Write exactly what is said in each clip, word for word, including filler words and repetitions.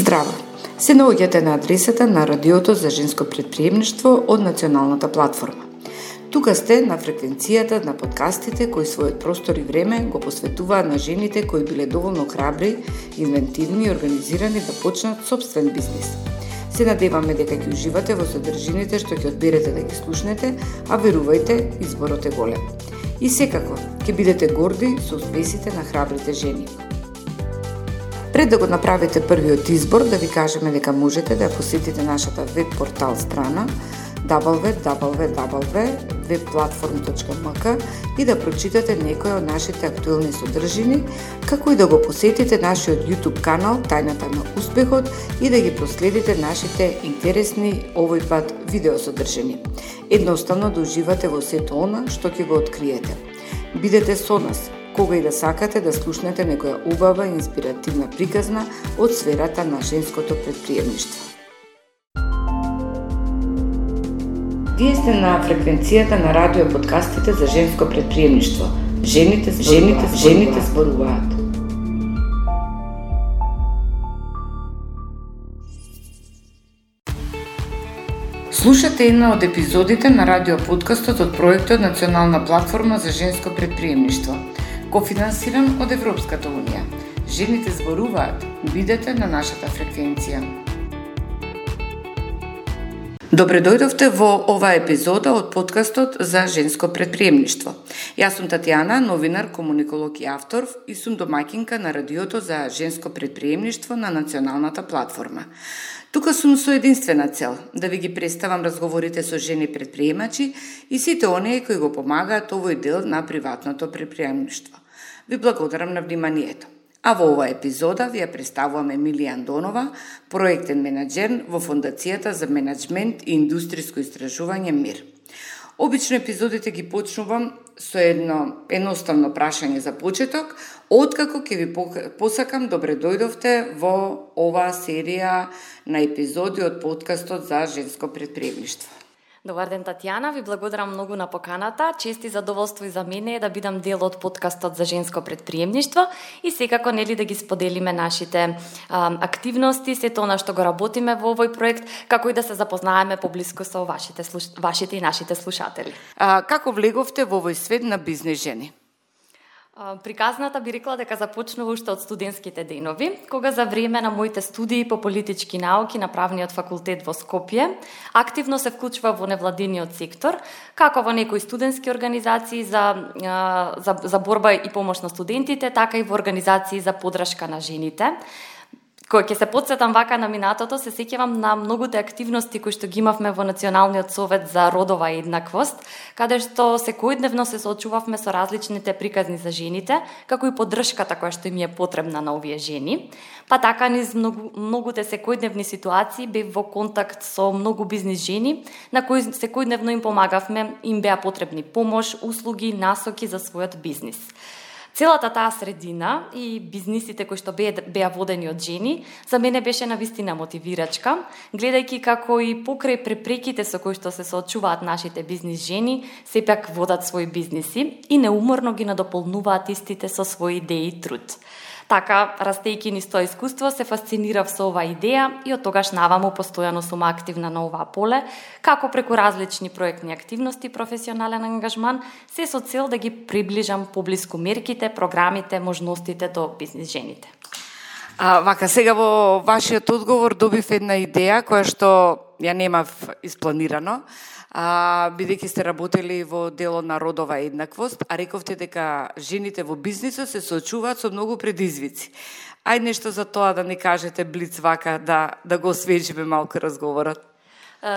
Здраво! Се наоѓате на адресата на Радиото за женско претприемништво од Националната платформа. Тука сте на фреквенцијата на подкастите кои својот простор и време го посветуваат на жените кои биле доволно храбри, инвентивни и организирани да почнат собствен бизнис. Се надеваме дека ќе уживате во содржините што ќе одберете да ги слушнете, а верувајте, изборот е голем. И секако, ќе бидете горди со успесите на храбрите жени. Пред да го направите првиот избор, да ви кажеме дека можете да посетите нашата веб портал страна дабл ю дабл ю дабл ю точка веб платформ точка ем ка и да прочитате некои од нашите актуелни содржини, како и да го посетите нашиот YouTube канал Тајната на успехот и да ги проследите нашите интересни овој пат видеосодржини. Едноставно да уживате во сето она што ќе го откриете. Бидете со нас кога и да сакате да слушнете некоја убава и инспиративна приказна од сферата на женското претприемништво. Вие сте на фреквенцијата на радио подкастите за женско претприемништво. Жените, жените, жените зборуваат. Слушате една од епизодите на радио подкастот од проектот Национална платформа за женско претприемништво, кофинансиран од Европската унија. Жените зборуваат. Бидете на нашата фреквенција. Добре дојдовте во оваа епизода од подкастот за женско претприемништво. Јас сум Татјана, новинар, комуниколог и автор и сум домаќинка на радиото за женско претприемништво на Националната платформа. Тука сум со единствена цел да ви ги представам разговорите со жени претприемачи и сите оние кои го помагаат овој дел на приватното претприемништво. Ви благодарам на вниманието. А во оваа епизода ви ја представувам Емилија Андонова, проектен менаџер во Фондацијата за менаџмент и индустријско истражување МИР. Обично епизодите ги почнувам со едно едноставно прашање за почеток, откако ќе ви посакам добре дојдовте во оваа серија на епизоди од подкастот за женско претприемништво. Добар ден, Татјана, ви благодарам многу на поканата. Чест и задоволство и за мене е да бидам дел од подкастот за женско претприемништво и секако нели да ги споделиме нашите а, активности, сето она што го работиме во овој проект, како и да се запознаеме поблиску со вашите, слуш... вашите и нашите слушатели. А, како влеговте во овој свет на бизнес жени? Приказната би рекла дека започнува уште од студентските денови, кога за време на моите студии по политички науки на правниот факултет во Скопје, активно се вклучува во невладиниот сектор, како во некои студентски организации за, за, за борба и помош на студентите, така и во организации за поддршка на жените. Кога ќе се потсетам вака на минатото, се сеќавам на многуте активности кои што ги имавме во Националниот совет за родова еднаквост, каде што секојдневно се соочувавме со различните приказни за жените, како и поддршката која што им е потребна на овие жени. Па така низ многу, многуте секојдневни ситуации бев во контакт со многу бизнис жени, на кои секојдневно им помагавме, им беа потребни помош, услуги, насоки за својот бизнис. Целата таа средина и бизнисите кои што беа, беа водени од жени, за мене беше навистина мотивирачка, гледајќи како и покрај препреките со кои што се соочуваат нашите бизнис жени, сепак водат своји бизниси и неуморно ги надополнуваат истите со своји идеи и труд. Така, растејќи низ тоа искуство, се фасцинирав со оваа идеја и од тогаш наваму постојано сум активна на оваа поле, како преку различни проектни активности, професионален ангажман, се со цел да ги приближам поблиску мерките, програмите, можностите до бизнис жените. А, вака, сега во вашиот одговор добив една идеја која што ја немав испланирано, а, бидејќи сте работели во дело на родова еднаквост, а рековте дека жените во бизнисот се соочуваат со многу предизвици. Ајде нешто за тоа да ни кажете блиц вака, да, да го освежиме малку разговорот.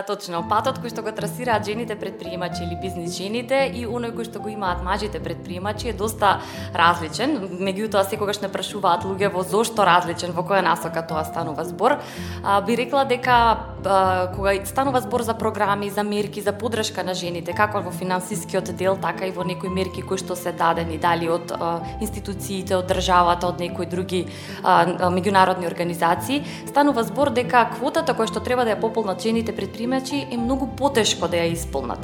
Точно, патот кој што го трасираат жените претприемачи или бизнис жените и оној кој што го имаат мажите претприемачи е доста различен. Меѓутоа секогаш не прашуваат луѓето зошто различен, во која насока тоа станува збор. А, би рекла дека а, кога станува збор за програми, за мерки, за поддршка на жените, како во финансискиот дел, така и во некои мерки кои што се дадени дали од а, институциите, од државата, од некои други а, меѓународни организации, станува збор дека квотата која што треба да ја пополнат жените предприемачи е многу потешко да ја исполнат.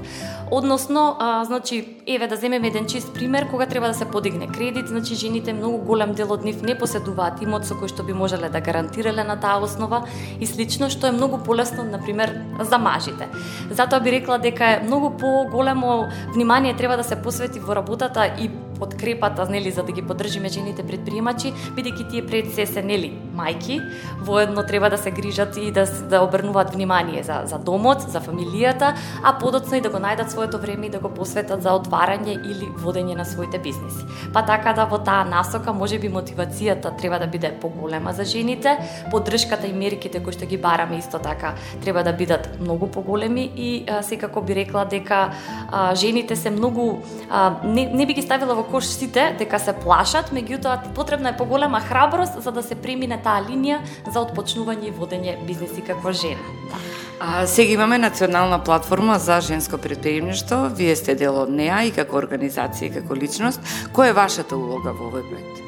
Односно, а, значи, Еве да земеме еден чист пример, кога треба да се подигне кредит, значи жените многу голем дел од нив не поседуваат имот со кој што би можеле да гарантирале на таа основа и слично, што е многу полесно, на пример, за мажите. Затоа би рекла дека е многу поголемо внимание треба да се посвети во работата и подкрепата, нели, за да ги поддржиме жените предприемачи, бидејќи тие пред се се, нели, мајки, воедно треба да се грижат и да да обрнуваат внимание за за домот, за фамилијата, а подоцна и да го најдат своето време и да го посветат за отварање или водење на своите бизнеси. Па така да во таа насока можеби мотивацијата треба да биде поголема за жените, поддршката и мерките кои што ги бараме исто така треба да бидат многу поголеми и а, секако би рекла дека а, жените се многу а, не, не би ги ставила во кош сите дека се плашат, меѓутоа потребна е поголема храброст за да се премине таа линија за отпочнување и водење бизнеси како жена. Да. А, сега имаме национална платформа за женско предприемништво. Вие сте дел од неа и како организација и како личност. Која е вашата улога во овој проект?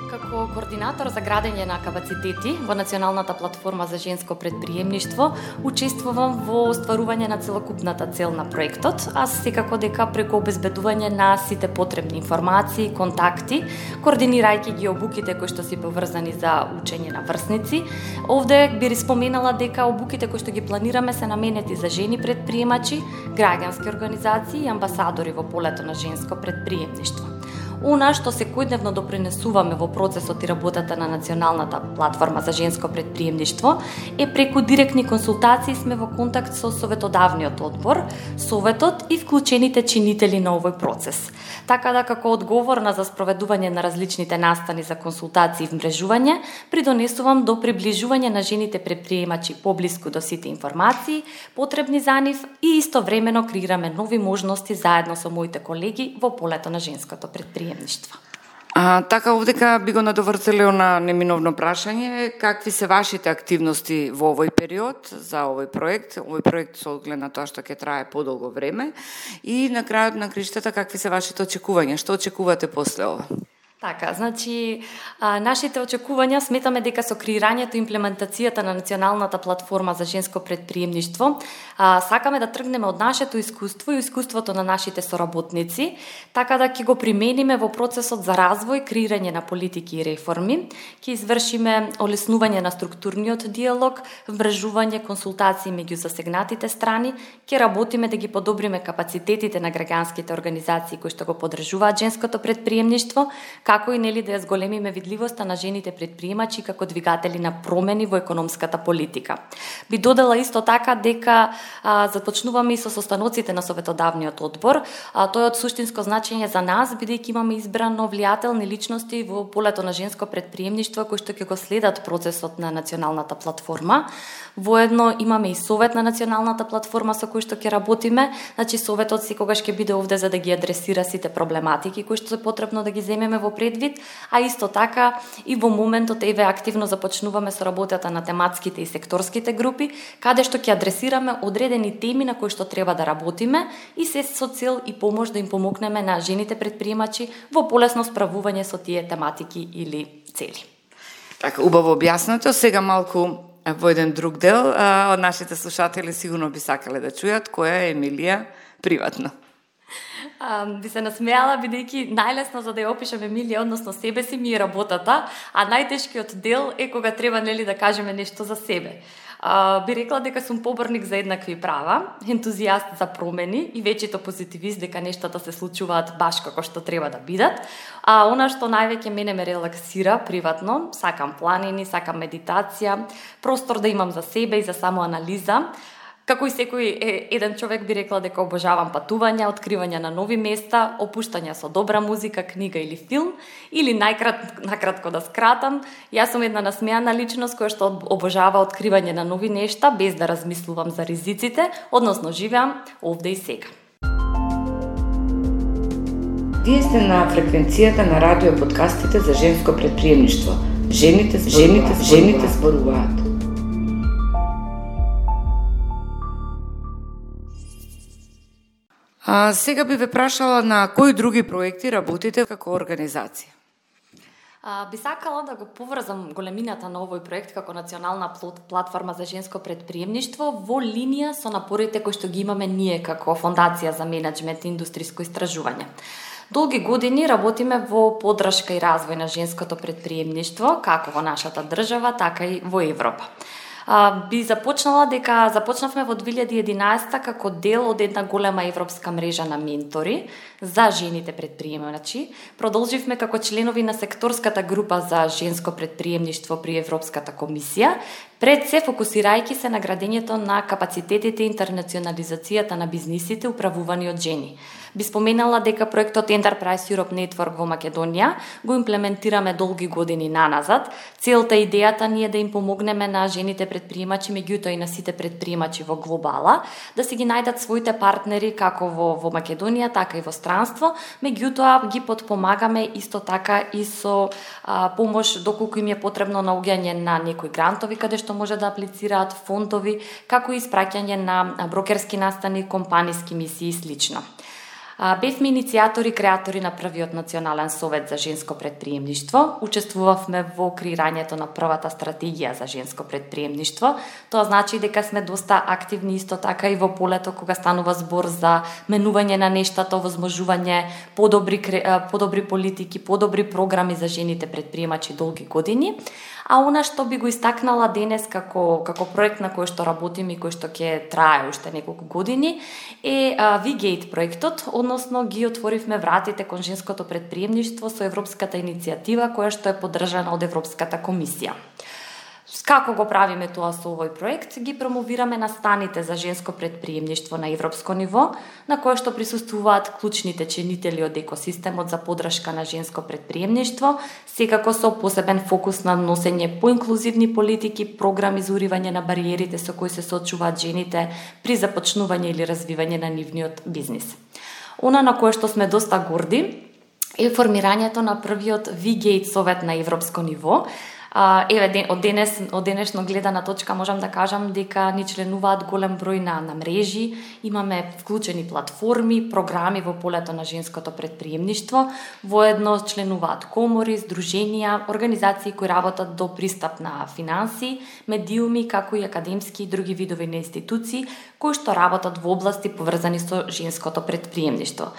Како координатор за градење на капацитети во Националната платформа за женско предприемништво, учествувам во остварување на целокупната цел на проектот, а секако дека преку обезбедување на сите потребни информации, контакти, координирајќи ги обуките кои што се поврзани за учење на врсници. Овде би споменала дека обуките кои што ги планираме се наменети за жени предприемачи, граѓански организации и амбасадори во полето на женско предприемништво. Она што секојдневно допринесуваме во процесот и работата на Националната платформа за женско предприемништво е преку директни консултации сме во контакт со советодавниот одбор, советот и вклучените чинители на овој процес. Така да како одговорна за спроведување на различните настани за консултации и вмрежување, придонесувам до приближување на жените предприемачи поблиску до сите информации потребни за нив и истовремено креираме нови можности заедно со моите колеги во полето на женското предприемништво. А, така, овдека би го надовртело на неминовно прашање, какви се вашите активности во овој период за овој проект, овој проект со оглед на тоа што ќе трае подолго време и на крајот на криштата какви се вашите очекувања, што очекувате после ова? Така, значи, а, нашите очекувања сметаме дека со креирањето и имплементацијата на Националната платформа за женско предприемништво а, сакаме да тргнеме од нашето искуство и искуството на нашите соработници, така да ќе го примениме во процесот за развој, креирање на политики и реформи, ќе извршиме олеснување на структурниот диалог, вмрежување, консултации меѓу засегнатите страни, ќе работиме да ги подобриме капацитетите на граѓанските организации кои што го поддржуваат женското предприемништво, како и нели да ја зголемиме видливоста на жените предприемачи како двигатели на промени во економската политика. Би додала исто така дека а, започнуваме и со состаноците на советодавниот одбор, а тој е од суштинско значење за нас, бидејќи имаме избрано влијателни личности во полето на женско предприемништво кои што ќе го следат процесот на Националната платформа. Воедно имаме и совет на Националната платформа со кој што ќе работиме, значи советот секогаш ќе биде овде за да ги адресира сите проблематики кои што е потребно да ги земеме во предвид, а исто така и во моментот еве активно започнуваме со работата на тематските и секторските групи, каде што ќе адресираме одредени теми на кои што треба да работиме и се со цел и помош да им помогнеме на жените предприемачи во полесно справување со тие тематики или цели. Така, убаво објаснато. Сега малку во еден друг дел, а, од нашите слушатели сигурно би сакале да чујат која е Емилија приватно. А, би се насмеала, бидејќи најлесно за да ја опишам Емилија, односно себе си, ми е работата, а најтешкиот дел е кога треба нели да кажеме нешто за себе. А, би рекла дека сум поборник за еднакви права, ентузијаст за промени и вечито позитивист дека нештата се случуваат баш како што треба да бидат. А она што највеќе мене ме релаксира приватно, сакам планини, сакам медитација, простор да имам за себе и за самоанализа. Како и секој еден човек би рекла дека обожавам патувања, откривање на нови места, опуштања со добра музика, книга или филм, или најкрат, накратко да скратам, јас сум една насмеана личност која што обожава откривање на нови нешта без да размислувам за ризиците, односно живеам овде и сега. Вие сте на фреквенцијата на радио подкастите за женско предприемништво. Жените, жените, жените зборуваат. А, сега би ве прашала на кои други проекти работите како организација? А, би сакала да го поврзам големината на овој проект како национална платформа за женско предприемништво во линија со напорите кои што ги имаме ние како Фондација за менеджмент и индустријско истражување. Долги години работиме во поддршка и развој на женското предприемништво, како во нашата држава, така и во Европа. Uh, би започнала дека започнавме во две илјади и единаесета како дел од една голема европска мрежа на ментори за жените предприемачи. Продолживме како членови на секторската група за женско предприемништво при Европската комисија, пред се фокусирајќи се на градењето на капацитетите и интернационализацијата на бизнисите управувани од жени. Би споменала дека проектот Enterprise Europe Network во Македонија го имплементираме долги години наназад. Целта и идејата ни е да им помогнеме на жените предприемачи, меѓутоа и на сите предприемачи во глобала, да си ги најдат своите партнери како во, во Македонија, така и во странство, меѓутоа ги потпомагаме исто така и со а, помош доколку им е потребно наоѓање на некои грантови каде што може да аплицираат, фондови, како и испраќање на брокерски настани, компаниски мисии и слично. Бевме иницијатори и креатори на првиот национален совет за женско предприемништво. Учествувавме во креирањето на првата стратегија за женско предприемништво. Тоа значи дека сме доста активни исто така и во полето кога станува збор за менување на нештата, овозможување подобри подобри политики, подобри програми за жените предприемачи долги години. А она што би го истакнала денес како како проект на кој што работиме и кој што ќе трае уште неколку години е V-Gate проектот, односно ги отворивме вратите кон женското предприемништво со европската иницијатива која што е поддржана од Европската комисија. Како го правиме тоа со овој проект? Ги промовираме настаните за женско предприемништво на европско ниво, на кое што присуствуваат клучните чинители од екосистемот за поддршка на женско предприемништво, секако со посебен фокус на носење поинклузивни политики, програми за уривање на бариерите со кои се соочуваат жените при започнување или развивање на нивниот бизнис. Она на кое што сме доста горди е формирањето на првиот V-Gate совет на европско ниво. Uh, еве, од денес, од денешно гледана точка можам да кажам дека ни членуваат голем број на, на мрежи, имаме вклучени платформи, програми во полето на женското предприемништво, воедно членуваат комори, здруженија, организации кои работат до пристап на финанси, медиуми, како и академски и други видови на институции, кои што работат во области поврзани со женското предприемништво.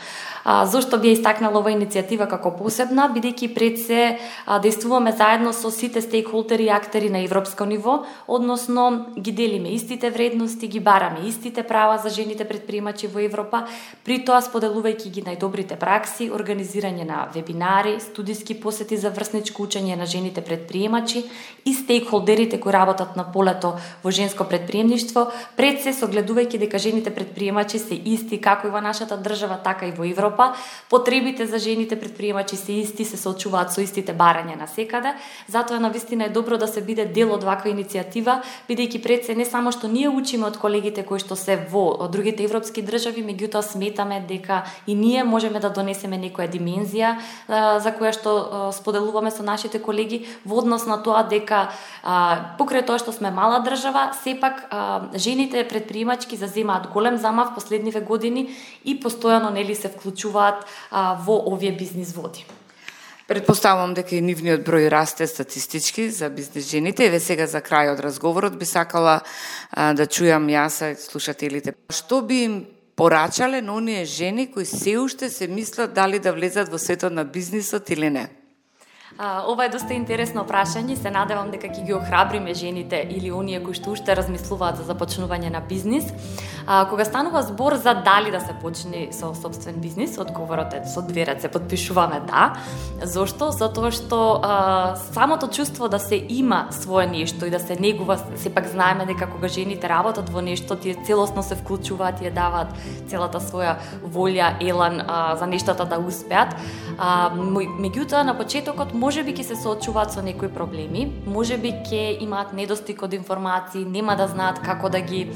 А, зошто би истакнала ова иницијатива како посебна, бидејќи пред се а, действуваме заедно со сите стейкхолдери и актери на европско ниво, односно ги делиме истите вредности, ги бараме истите права за жените предприемачи во Европа, при тоа споделувајќи ги најдобрите пракси, организирање на вебинари, студиски посети за врсничко учење на жените предприемачи и стейкхолдерите кои работат на полето во женско предприемништво, пред се согледувајќи дека жените предприемачи се исти како и во нашата држава, така и во Европа. Потребите за жените предприемачи се исти, се соочуваат со истите барања на секаде. Затоа навистина е добро да се биде дел од ваква иницијатива, бидејќи пред се не само што ние учиме од колегите кои што се во другите европски држави, меѓутоа сметаме дека и ние можеме да донесеме некоја димензија за која што споделуваме со нашите колеги во однос на тоа дека покрај тоа што сме мала држава, сепак жените предприемачки заземаат голем замав последниве години и постојано нели се вклучуваат во овие бизнис води. Предпоставувам дека и нивниот број расте статистички за бизнес жените. Еве сега за крај од разговорот би сакала а, да чујам јас и слушателите. Што би им порачале на оние жени кои се уште се мислат дали да влезат во светот на бизнисот или не? А, ова е доста интересно прашање, се надевам дека ќе ги охрабриме жените или оние кои што уште размислуваат за започнување на бизнис. А, кога станува збор за дали да се почне со собствен бизнис, одговорот е со две раце потпишуваме да. Зошто? Затоа што а, самото чувство да се има свое нешто и да се негува, сепак знаеме дека кога жените работат во нешто, тие целосно се вклучуваат и ја даваат целата своја волја, елан а, за нештата да успеат. А, меѓутоа на почетокот може би ќе се соочуваат со некои проблеми, може би ќе имаат недостиг од информации, нема да знаат како да ги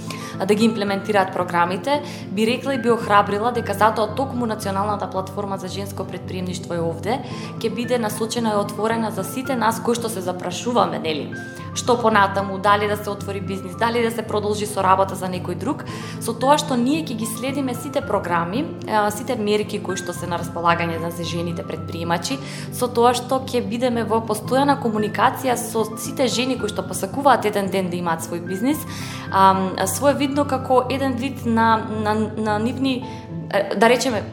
да ги имплементираат програмите. Би рекла и би охрабрила дека затоа токму националната платформа за женско предприемништво е овде, ќе биде насочена и отворена за сите нас кои што се запрашуваме, нели? Што понатаму, дали да се отвори бизнис, дали да се продолжи со работа за некој друг, со тоа што ние ќе ги следиме сите програми, сите мерки кои што се на располагање за жените предприемачи, со тоа што ќе бидеме во постојана комуникација со сите жени кои што посакуваат еден ден да имаат свој бизнис, а, своевидно како еден вид на, на, на нивни, да речеме,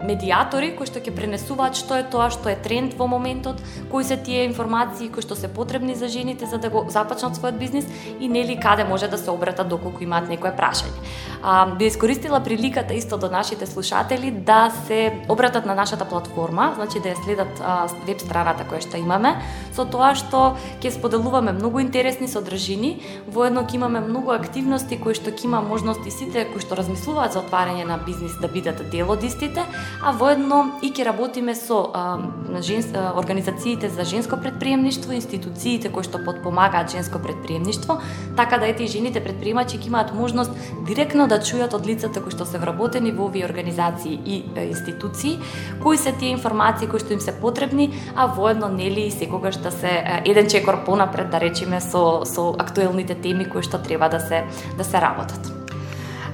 медиатори кои што ќе пренесуваат што е тоа што е тренд во моментот, кои се тие информации кои што се потребни за жените за да го започнат својот бизнис и нели каде може да се обратат доколку имаат некое прашање. А, би искористила приликата исто до нашите слушатели да се обратат на нашата платформа, значи да ја следат а, веб страната која што имаме, со тоа што ќе споделуваме многу интересни содржини, воедно ќе имаме многу активности кои што ќе има можности сите кои што размислуваат за отварање на бизнис да бидат дел од истите, а воедно и ќе работиме со а, женс, а, организациите за женско предприемништво, институциите кои што подпомагаат женско предприемништво, така да ете и жените предприемачи ќе имаат можност директно да чујат од лицата кои што се вработени во овие организации и а, институции, кои се тие информации кои што им се потребни, а воедно нели секогаш да се а, еден чекор понапред да речеме со со актуелните теми кои што треба да се да се работат.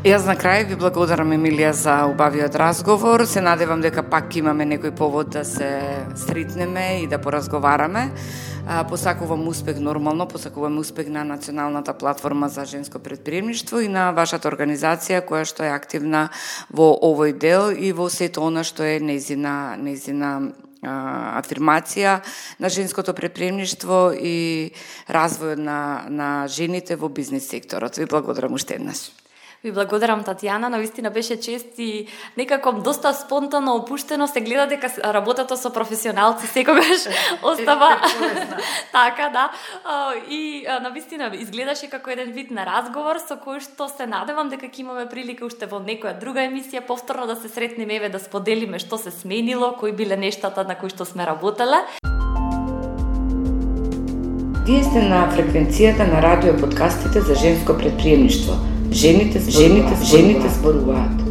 Јас на крај ви благодарам, Емилија, за убавиот разговор. Се надевам дека пак имаме некој повод да се сретнеме и да поразговараме. Посакувам успех нормално, посакувам успех на Националната платформа за женско предприемништво и на вашата организација која што е активна во овој дел и во сето она што е нејзина нејзина афирмација на женското предприемништво и развојот на на жените во бизнис секторот. Ви благодарам уште еднаш. Ви благодарам, Татјана, навистина беше чест и некако доста спонтано опуштено се гледа дека работата со професионалци секогаш остава така, да. И навистина изгледаше како еден вид на разговор со кој што се надевам дека ќе имаме прилика уште во некоја друга емисија повторно да се сретнеме, еве да споделиме што се сменило, кои биле нештата на кои што сме работеле. Вие сте на фреквенцијата на радио подкастите за женско предприемништво. Жените, жените, жените зборуваат.